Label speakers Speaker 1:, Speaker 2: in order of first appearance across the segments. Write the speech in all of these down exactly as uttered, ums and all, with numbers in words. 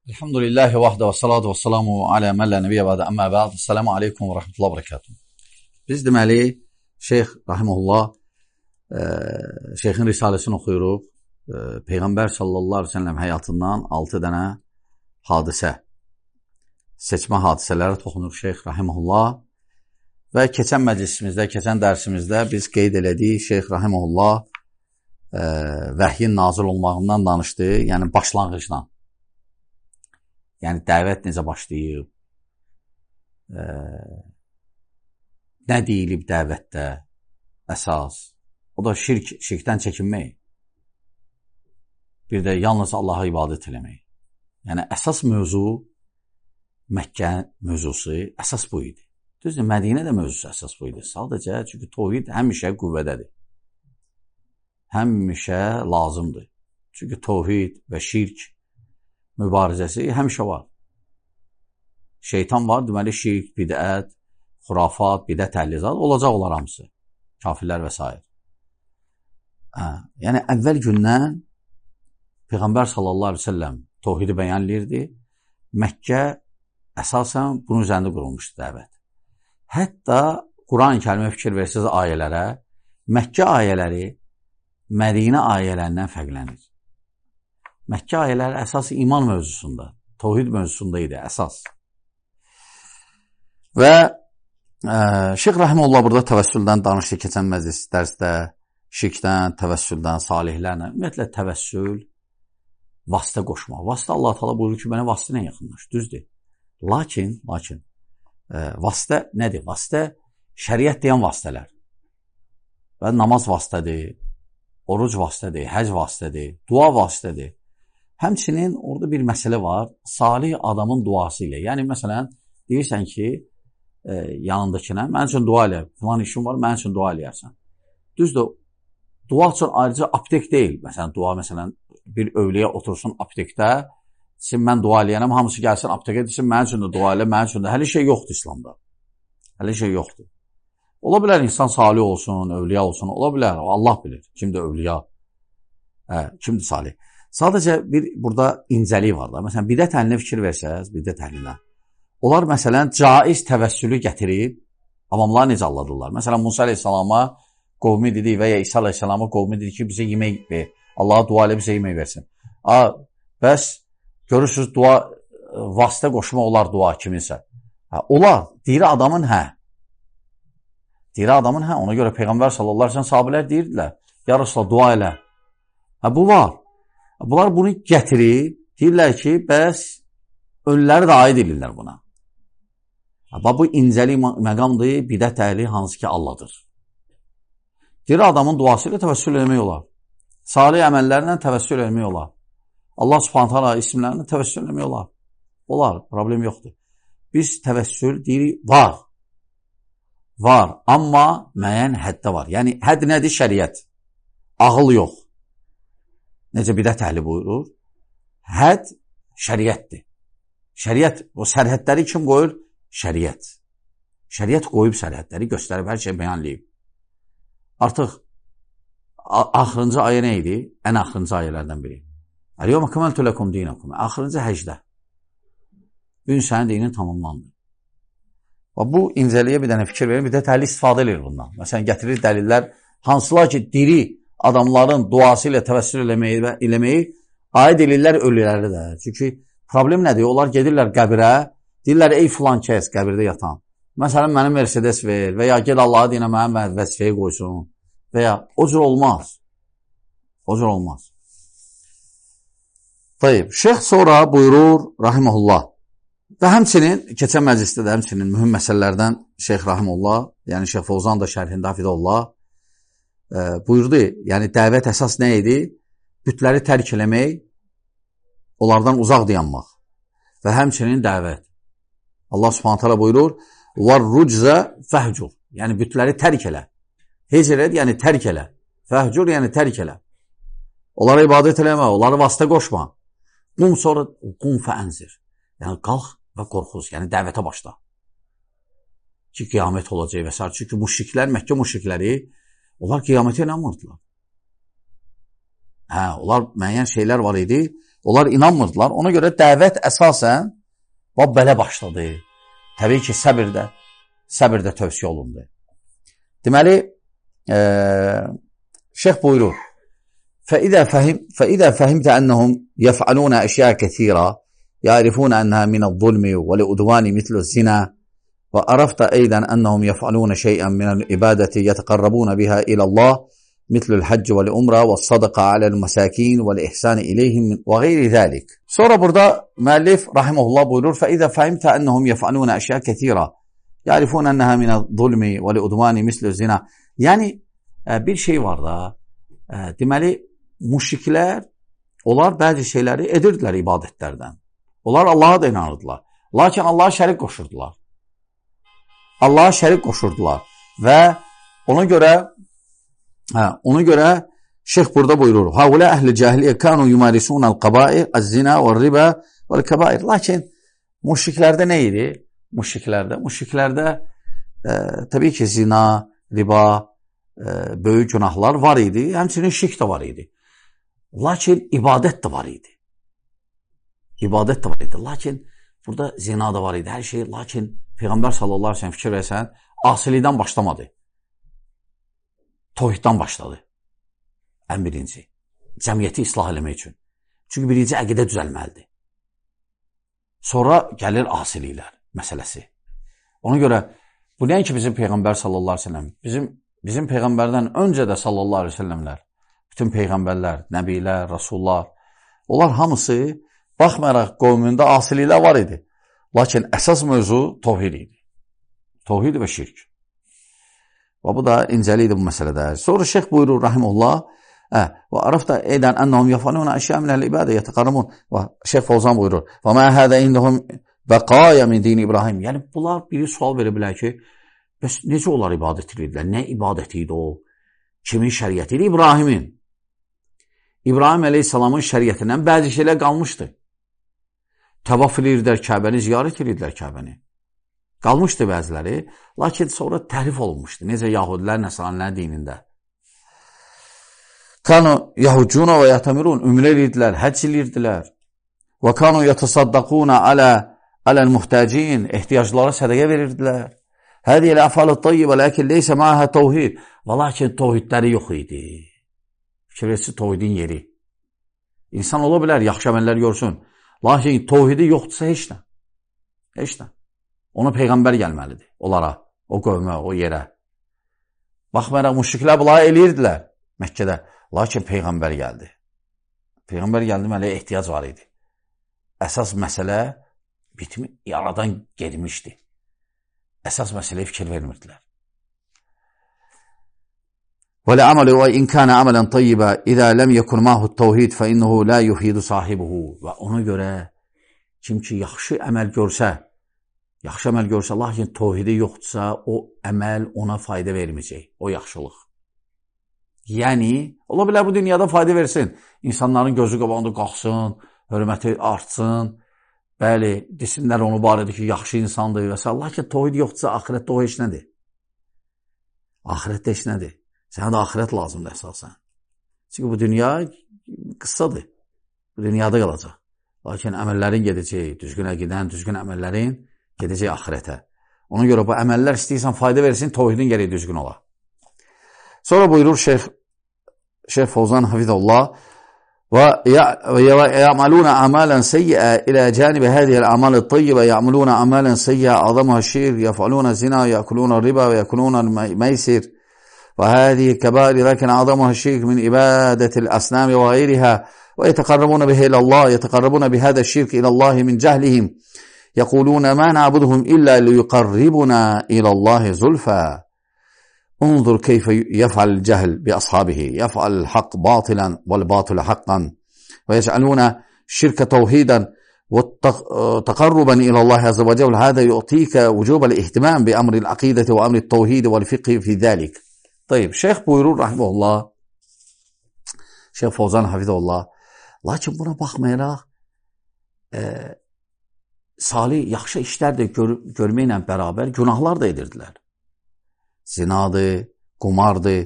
Speaker 1: Elhamdülillahi vahdə və salatu və salamu alə məllə nəbiyyə bədə əmmə bəd. Esselamu aleykum və rəhmətullah və bərəkatuhu. Biz deməli, Şeyx Rahimullah e, Şeyxin risaləsini oxuyuruq. E, Peyğəmbər sallallahu aleyhi ve sellem həyatından altı dənə hadisə, seçmə hadisələrə toxunur Şeyx Rahimullah və keçən məclisimizdə, keçən dərsimizdə biz qeyd elədik, Şeyx Rahimullah e, vəhyin nazil olmağından danışdı, yəni başlanğıcdan. Yəni, dəvət necə başlayıb, e, nə deyilib dəvətdə əsas, o da şirk, şirkdən çəkinmək, bir də yalnız Allaha ibadət eləmək. Yəni, əsas mövzu, Məkkə mövzusu, əsas bu idi. Düzdür, Mədinə də mövzusu əsas bu idi. Sadəcə, çünki tohid həmişə qüvvədədir, həmişə lazımdır. Çünki tohid və şirk mübarizəsi həmişə var. Şeytan var, deməli şirk, bidət, xurafat, bidət əhlizat olacaq olar hamısı. Kafirlər və s. Hə, yəni əvvəl gündən Peyğəmbər sallallahu aleyhi ve sellem tohidi bəyanlayırdı. Məkkə əsasən bunun üzərində qurulmuşdu dəvət. Hətta Quran-ı Kərimə fikir versiniz ayələrə, Məkkə ayələri Mədinə ayələrindən fərqlənir. Məkkə ayələri əsas iman mövzusunda, tohid mövzusunda idi, əsas. Və e, Şeyx Rahimullah burada təvəssüldən danışdı keçən məclis dərsdə, şirkdən, təvəssüldən, salihlərlə. Ümumiyyətlə, təvəssül, vasitə qoşmaq. Vasitə Allah Teala buyurur ki, mənə vasitə ilə yaxınlaş, düzdür. Lakin, lakin, e, vasitə nədir? Vasitə, şəriət deyən vasitələr. Və namaz vasitədir, oruc vasitədir, həc vasitədir, dua vasitədir. Həmçinin orada bir məsələ var, salih adamın duası ilə. Yəni, məsələn, deyirsən ki, e, yanındakına, mən üçün dua elə, filan işim var, mən üçün dua eləyərsən. Düzdür, dua üçün ayrıca aptek deyil. Məsələn, dua, məsələn, bir övliyə otursun aptekdə, desin, mən dua eləyənəm, hamısı gəlsin aptekə, desin, mən üçün də dua elə, mən üçün də. Hələ şey yoxdur İslamda. Hələ şey yoxdur. Ola bilər, insan salih olsun, övliya olsun, ola bilər, Allah bilir, kimdir övliya, hə, kimdir salih. Sadəcə bir burada incəlik var da. Məsələn, bidət əhlinə fikir versəz, bidət əhlinə. Onlar, məsələn, caiz təvəssülü gətirib, avamları necə alladırlar? Məsələn, Musa aleyhissalama qovmi dedi və ya İsa aleyhissalama qovmi dedi ki, bizə yemək ver. Allaha dua elə bizə yemək versin. A, bəs görürsünüz, dua, vasitə qoşma olar dua kiminsə. Hə, olar, deyir adamın hə. Deyir adamın hə. Ona görə Peyğəmbər sallallahu aleyhi ve sellem sahabələr deyirdilər, ya Resulallah, dua elə. Hə, bu var. Bunlar bunu gətirir, deyirlər ki, bəs ölüləri də aid edirlər buna. Bu incəlik məqamdır, bidət əhli hansı ki Allahdır. Deyir, adamın duası ilə təvəssül eləmək olar. Salih əməllərlə təvəssül eləmək olar. Allah subhanət hala isimlərlə təvəssül eləmək olar. Olar, problem yoxdur. Biz təvəssül deyirik, var. Var, amma müəyyən həddə var. Yəni, hədd nədir? Şəriət. Ağıl yox. Necə bidət əhli buyurur? Hədd şəriətdir. Şəriət, o sərhədləri kim qoyur? Şəriət. Şəriət qoyub sərhədləri, göstərib, hər şey bəyanlayıb. Artıq axırıncı ayə nə idi? Ən axırıncı ayələrdən biri. Əl-yevmə kəməltü ləkum dinakum. Axırıncı həcdə. Gün sənin dinin tamamlandı. Və bu incəliyə bir dənə fikir verin, bidət əhli istifadə edir bundan. Məsələn, gətirir dəlillər, hansılar ki, diri adamların duası ilə təvəssül eləməyi, eləməyi aid edirlər ölüləri də. Çünki problem nədir? Onlar gedirlər qəbirə, deyirlər, ey filan kəs qəbirdə yatan. Məsələn, mənə Mercedes ver və ya gel Allah'a deyinə mənə vəzifəyə qoysun və ya o cür olmaz. O cür olmaz. Tayyib, şeyx sonra buyurur, Rahimullah. Və həmçinin, keçən məclisdə də həmçinin mühüm məsələlərdən Şeyx Rahimullah, yəni Şeyx Fovzan da şərhində Hafidullah e, buyurdu, yəni dəvət əsas nə idi? Bütləri tərk eləmək, onlardan uzaq dayanmaq və həmçinin dəvət. Allah subhanət hala buyurur, وَالرُّجْزَ فَهْجُرْ, yəni bütləri tərk elə. Hecr et, yəni tərk elə. Fəhcur, yəni tərk elə. Onlara ibadət eləmə, onlara vasitə qoşma. Qum sonra, qum fəənzir. Yəni qalx və qorxuz, yəni dəvətə başla. Ki, qiyamət olacaq və s. Çünki müşriklər, Məkkə müşrikləri, onlar qiyamətə inanmırdılar. Hə, onlar müəyyən şeylər var idi. Onlar inanmırdılar. Ona görə dəvət əsasən və belə başladı. Təbii ki, səbirdə, səbirdə tövsiyə olundu. Deməli, e, şeyh buyurur, فإذا فهم فإذا فهمت أنهم يفعلون أشياء كثيرة يعرفون أنها من الظلم والعدوان مثل الزنا وعرفت أيضا أنهم يفعلون شيئا من العبادة يتقربون بها إلى الله مثل الحج والعمرة والصدقة على المساكين والإحسان إليهم وغير ذلك. Sonra burada müəllif rahimehullah buyurur: فإذا فهمت أنهم يفعلون أشياء كثيرة يعرفون أنها من الظلم والعدوان مثل الزنا. Yəni bir şey var da, deməli müşriklər, onlar bəzi şeyləri edirdilər ibadətlərdən. Onlar Allaha da inanırdılar. Lakin Allaha şərik qoşurdular. Allaha şərik qoşurdular. Və ona görə hə, ona görə şeyh burada buyurur. Haula əhli cahiliyyə kanu yumarisunal qabair, az-zina və-riba və-kəbair. Lakin müşriklərdə nə idi? Müşriklərdə, müşriklərdə e, təbii ki, zina, riba, e, böyük günahlar var idi. Həmçinin şirk də var idi. Lakin ibadət də var idi. İbadət də var idi. Lakin burada zina da var idi. Hər şey. Lakin Peyğəmbər sallallahu aleyhi ve sellem fikir versən, asilikdən başlamadı. Tohiddən başladı. Ən birinci. Cəmiyyəti islah eləmək üçün. Çünki birinci əqidə düzəlməlidir. Sonra gəlir asiliklər məsələsi. Ona görə bu nəinki bizim Peyğəmbər sallallahu aleyhi ve sellem. Bizim, bizim Peyğəmbərdən öncə də sallallahu aleyhi ve sellemlər, bütün Peyğəmbərlər, Nəbilər, Rasullar, onlar hamısı baxmayaraq qovmunda asiliklər var idi. Lakin əsas mövzu tohid idi. Tohid və şirk. Və bu da incəli idi bu məsələdə. Sonra şeyh buyurur, rahimullah, və arafda edən ennəhum yafaluna əşya minəl ibadə yətəqarramun. Və şeyh Fawzan buyurur, və mə hədə indəhum bəqaya min dini İbrahim. Yəni, bunlar biri sual verə bilər ki, bəs necə onlar ibadət edirlər? Nə ibadət idi o? Kimin şəriyyəti idi? İbrahimin. İbrahim əleyhissalamın şəriyyətindən bəzi şeylər qalmışdı. Təvaf edirdilər Kəbəni, ziyarət edirdilər Kəbəni. Qalmışdı bəziləri, lakin sonra təhrif olunmuşdu. Necə Yahudilər, Nəsranilər dinində. Kanu yahucuna və yatamirun, ümrə edirdilər, həcc edirdilər. Və kanu yatasaddaquna alə aləl muhtacin, ehtiyaclara sədəqə verirdilər. Hədiyə əfəl-i tayyibə, ləkin leysə məhə təvhid. Və lakin təvhidləri yox idi. Fikirləsi təvhidin yeri. İnsan ola bilər, yaxşı əməllər görsün. Lakin təvhidi yoxdursa heç nə. Heç nə. Ona Peyğəmbər gəlməlidir. Onlara, o qövmə, o yerə. Baxmayaraq, müşriklər bunları eləyirdilər Məkkədə. Lakin Peyğəmbər gəldi. Peyğəmbər gəldi, mələ ehtiyac var idi. Əsas məsələ bitmi, yaradan gedmişdi. Əsas məsələyə fikir vermirdilər. وَلَعَمَلُ وَاِنْ كَانَ عَمَلًا طَيِّبًا اِذَا لَمْ يَكُنْ مَاهُ التَّوْحِيدِ فَاِنَّهُ لَا يُفِيدُ صَاحِبُهُ. Və ona görə kim ki yaxşı əməl görsə, yaxşı əməl görsə, lakin təvhidi yoxdursa, o əməl ona fayda verməyəcək, o yaxşılıq. Yəni, ola bilər bu dünyada fayda versin. İnsanların gözü qabağında qalxsın, hörməti artsın, bəli, desinlər onu barədə ki, yaxşı insandır və s. Lakin təvhid yoxdursa, axirətdə o heç nədir. Axirətdə heç nədir. Sənə də axirət lazımdır əsasən. Çünki bu dünya qıssadır. Bu dünyada qalacaq. Lakin əməllərin gedəcək, düzgün əqidən, düzgün əməllərin gedəcək axirətə. Ona görə bu əməllər istəyirsən fayda versin, təvhidin gərək düzgün ola. Sonra buyurur Şeyh, Şeyh Fawzan hafizallah وَيَعْمَلُونَ عَمَالًا سَيِّئًا إِلَى جَانِبِ هَذِهِ الْأَعْمَالِ الطَّيِّبَةِ يَعْمَلُونَ عَمَالًا سَيِّئًا أَعْظَمُهَا الشِّرْكُ يَفْعَلُونَ الزِّنَا وَيَأْكُلُونَ الرِّبَا وَيَأْكُلُونَ الْمَيْسِرَ وهذه كبائر لكن أعظمها الشرك من عبادة الأصنام وغيرها ويتقربون به إلى الله يتقربون بهذا الشرك إلى الله من جهلهم يقولون ما نعبدهم إلا ليقربنا إلى الله زلفى. انظر كيف يفعل الجهل بأصحابه يفعل الحق باطلا والباطل حقا ويجعلون الشرك توحيدا وتقربا إلى الله عز وجل. هذا يعطيك وجوب الاهتمام بأمر العقيدة وأمر التوحيد والفقه في ذلك. Tayyib, şeyh buyurur, rahiməhullah, Şeyh Fawzan hafizəhullah, lakin buna baxmayaraq, e, salih, yaxşı işlər də gör, görməklə bərabər günahlar da edirdilər. Zinadır, qumardır,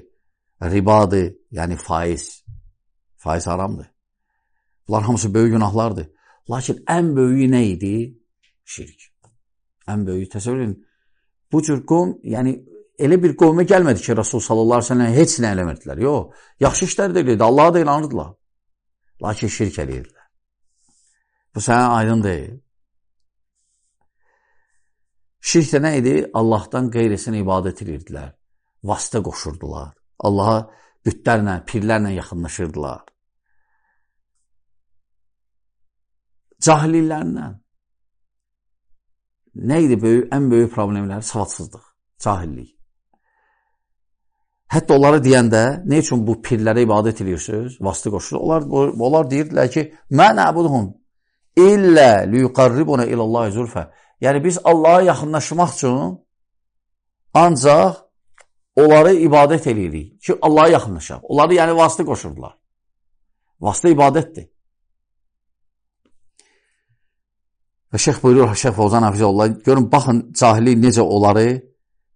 Speaker 1: ribadır, yəni faiz. Faiz haramdır. Bunlar hamısı böyük günahlardır. Lakin ən böyüyü nə idi? Şirk. Ən böyüyü təsəvvür edin. Bu cür qovm, yəni elə bir qovmə gəlmədi ki, Rasul sallallahu aleyhi ve sellem heç nə eləmirdilər. Yox, yaxşı işlər də edirdi, Allaha da inanırdılar. Lakin şirk eləyirdilər. Bu sənə aydın deyil. Şirk də nə idi? Allahdan qeyrisinə ibadət edirdilər. Vasitə qoşurdular. Allaha bütlərlə, pirlərlə yaxınlaşırdılar. Cahilliklərlə. Nə idi böyük, ən böyük problemləri? Savadsızlıq, cahillik. Hətta onları deyəndə, nə üçün bu pirlərə ibadət edirsiniz? Vasitə qoşurlar. Onlar, onlar deyirdilər ki, mən əbuduhum illə liyuqarribuna ilallahi zülfə. Yəni, biz Allaha yaxınlaşmaq üçün ancaq onları ibadət edirik ki, Allaha yaxınlaşaq. Onları yəni vasitə qoşurdular. Vasitə ibadətdir. Və Şeyx buyurur, Şeyx Fovzan Hafizullah, görün, baxın, cahillik necə onları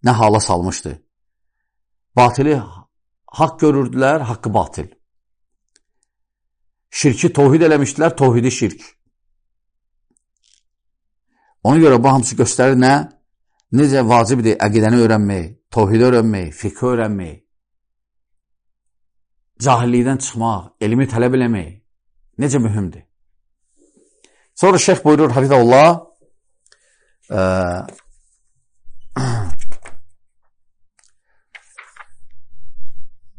Speaker 1: nə hala salmışdı. Batili haqq görürdülər, haqqı batil. Şirki tohid eləmişdilər, tohidi şirk. Ona görə bu hamısı göstərir nə? Necə vacibdir əqidəni öyrənmək, tohidi öyrənmək, fiqhi öyrənmək, cahillikdən çıxmaq, elmi tələb eləmək necə mühümdür. Sonra şeyx buyurur, Hafizullah,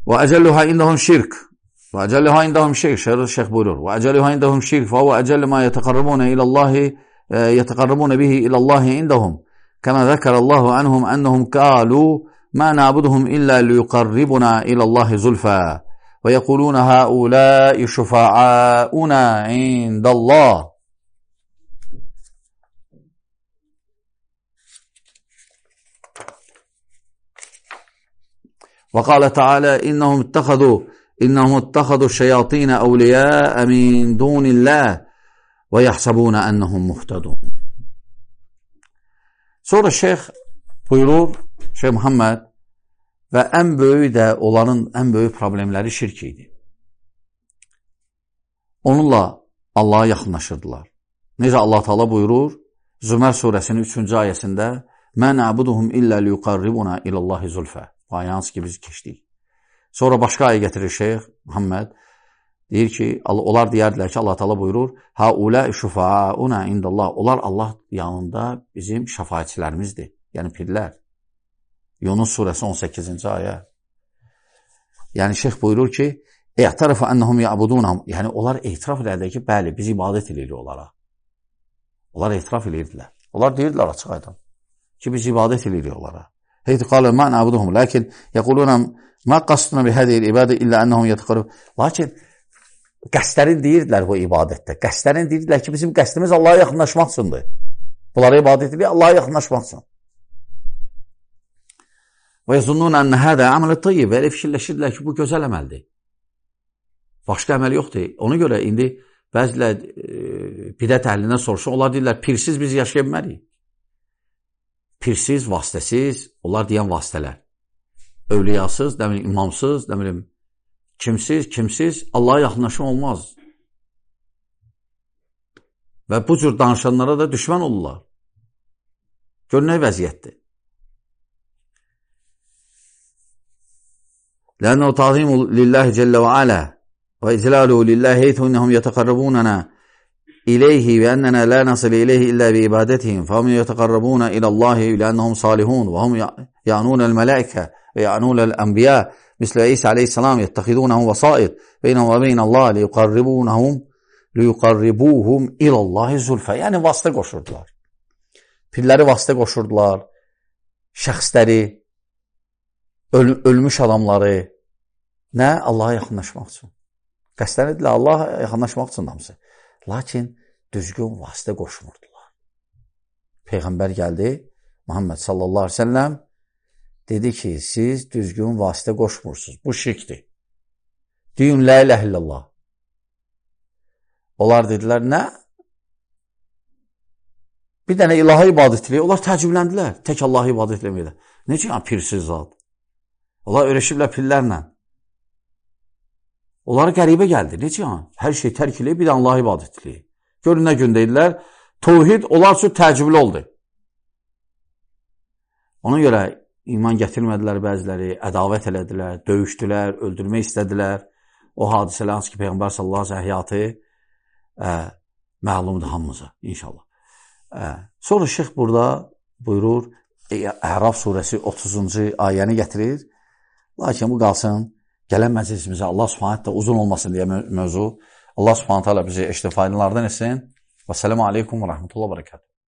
Speaker 1: və əcəlluha indahum şirk, və əcəlluha indahum şirk, şeyx buyurur, və əcəlluha indahum şirk, və və əcəllu ma yətəqarrabuna ilallahi, yətəqarrabuna bihi ilallahi indahum, kəmə zəkərəllahu anhum ennəhum qalu, mə nabuduhum illə liyuqarribuna ilallahi zulfə, və yəquluna haulai şufa'auna indallah. وقال تعالى إنهم اتخذوا إنهم اتخذوا الشياطين أولياء من دون الله ويحسبون أنهم مهتدون. Sonra şeyx buyurur, Şeyx Muhammed, və ən böyük də onların ən böyük problemləri şirk idi. Onunla Allaha yaxınlaşırdılar. Necə Allah Teala buyurur, Zümər surəsinin üçüncü ayəsində, "Mə na'buduhum illə liyuqarribuna ilallahi zulfə." Ayəniz ki, biz keçdik. Sonra başqa ayə gətirir Şeyx Muhammed. Deyir ki, onlar deyərdilər ki, Allah Teala buyurur, "Haulâ şufa'auna indallah." Onlar Allah yanında bizim şəfaətçilərimizdir. Yəni pirlər. Yunus surəsi on səkkizinci ayə. Yəni Şeyx buyurur ki, "E'tarafa ennehum ya'budunhum." Yəni onlar etiraf edirlər ki, bəli, biz ibadət edirik onlara. Onlar etiraf edirdilər. Onlar deyirdilər açıq aydın ki, biz ibadət edirik onlara. Heyt qalu ma na'buduhum lakin yaquluna ma qasduna bi hadihi al-ibada illa annahum yataqarrab. Lakin qəsdlərin deyirdilər bu ibadətdə. Qəsdlərin deyirdilər ki, bizim qəsdimiz Allaha yaxınlaşmaq üçündür. Bunlara ibadət edirik Allaha yaxınlaşmaq üçün. Və yazunnuna anna hada amal tayyib. Elə fikirləşirdilər ki, bu gözəl əməldir. Başqa əməl yoxdur. Ona görə indi bəzilər e, bidət əhlindən soruşur, onlar deyirlər, pirsiz biz yaşaya bilmərik. Pirsiz, vasitəsiz, onlar deyən vasitələr. Övliyasız, nə bilim, imamsız, nə bilim, kimsiz, kimsiz, Allaha yaxınlaşma olmaz. Və bu cür danışanlara da düşmən olurlar. Gör nə vəziyyətdir. Lənə ta'zimu lillahi cəllə və alə və iclaluhu lillahi heythu innəhum yətəqarrabunana إليه بأننا لا نصل إليه إلا بإبادتهم فهم يتقربون إلى الله لأنهم صالحون وهم يعنون الملائكة ويعنون الأنبياء مثل عيسى عليه السلام يتخذونه وسائط بينهم وبين الله ليقربونهم ليقربوهم إلى الله زلفى. Yəni vasitə qoşurdular. Pirləri vasitə qoşurdular. Şəxsləri, öl ölmüş adamları nə? Allaha yaxınlaşmaq üçün. Qəsdən edilə Allaha yaxınlaşmaq üçün hamısı. Lakin düzgün vasitə qoşmurdular. Peyğəmbər gəldi, Muhammed sallallahu aleyhi ve sellem dedi ki, siz düzgün vasitə qoşmursunuz. Bu şirkdir. Deyin, la ilahe illallah. Onlar dedilər, nə? Bir dənə ilaha ibadət edilir. Onlar təəccübləndilər. Tək Allaha ibadət etməkdə. Necə yəni pirsiz zat? Onlar öyrəşiblər pillərlə. Onlara qəribə gəldi. Necə yəni? Hər şey tərk eləyib, bir də Allah ibadət eləyib. Görün nə gün deyirlər, tövhid onlar üçün təəccüblü oldu. Ona görə iman gətirmədilər bəziləri, ədavət elədilər, döyüşdülər, öldürmək istədilər. O hadisələr hansı ki, Peyğəmbər sallallahu əleyhi və səlləm həyatı ə, məlumdur hamımıza, inşallah. Ə, sonra şeyx burada buyurur, Əraf surəsi otuzuncu ayəni gətirir. Lakin bu qalsın, gələn məclisimizə Allah subhanət də uzun olmasın deyə mövzu. Allah subhanət hələ bizi eşitə faydalardan etsin. Və sələmu aleykum və rəhmətullah və bərəkatuhu.